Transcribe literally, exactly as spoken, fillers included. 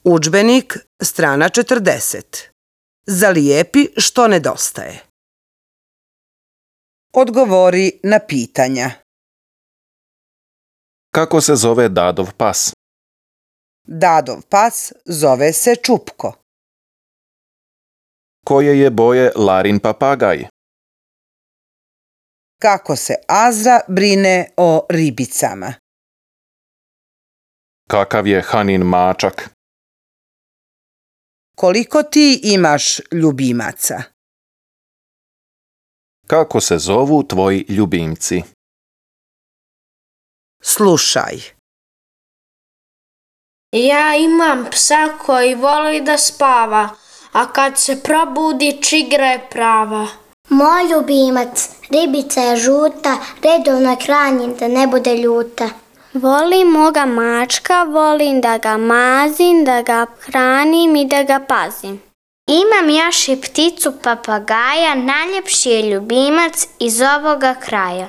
Udžbenik, strana četrdeset. Zalijepi što nedostaje. Odgovori na pitanja. Kako se zove Dadov pas? Dadov pas zove se Čupko. Koje je boje Larin papagaj? Kako se Azra brine o ribicama? Kakav je Hanin mačak? Koliko ti imaš ljubimaca? Kako se zovu tvoji ljubimci? Slušaj. Ja imam psa koji voli da spava, a kad se probudi čigra je prava. Moj ljubimac, ribica je žuta, redovno hranim da ne bude ljuta. Volim moga mačka, volim da ga mazim, da ga hranim i da ga pazim. Imam još i pticu papagaja, najljepši je ljubimac iz ovoga kraja.